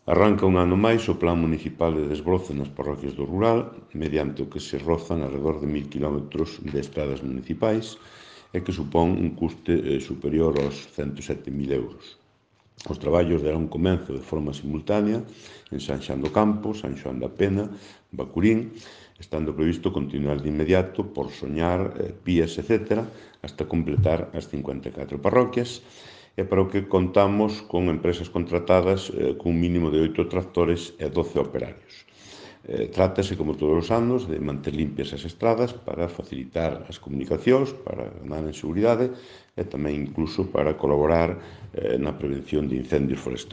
Arranca un ano máis o Plan Municipal de Desbroce nas parroquias do rural, mediante o que se rozan alrededor de 1000 km de estradas municipais e que supón un custe superior aos 107.000 euros. Os traballos darán comezo de forma simultánea en San Xoán do Campo, San Xoán da Pena, Bacurín, estando previsto continuar de inmediato por Soñar, Pías, etc., hasta completar as 54 parroquias, e para o que contamos con empresas contratadas cun mínimo de 8 tractores e 12 operarios. Trátase, como todos os anos, de manter limpias as estradas para facilitar as comunicacións, para ganar en seguridade e tamén incluso para colaborar na prevención de incendios forestais.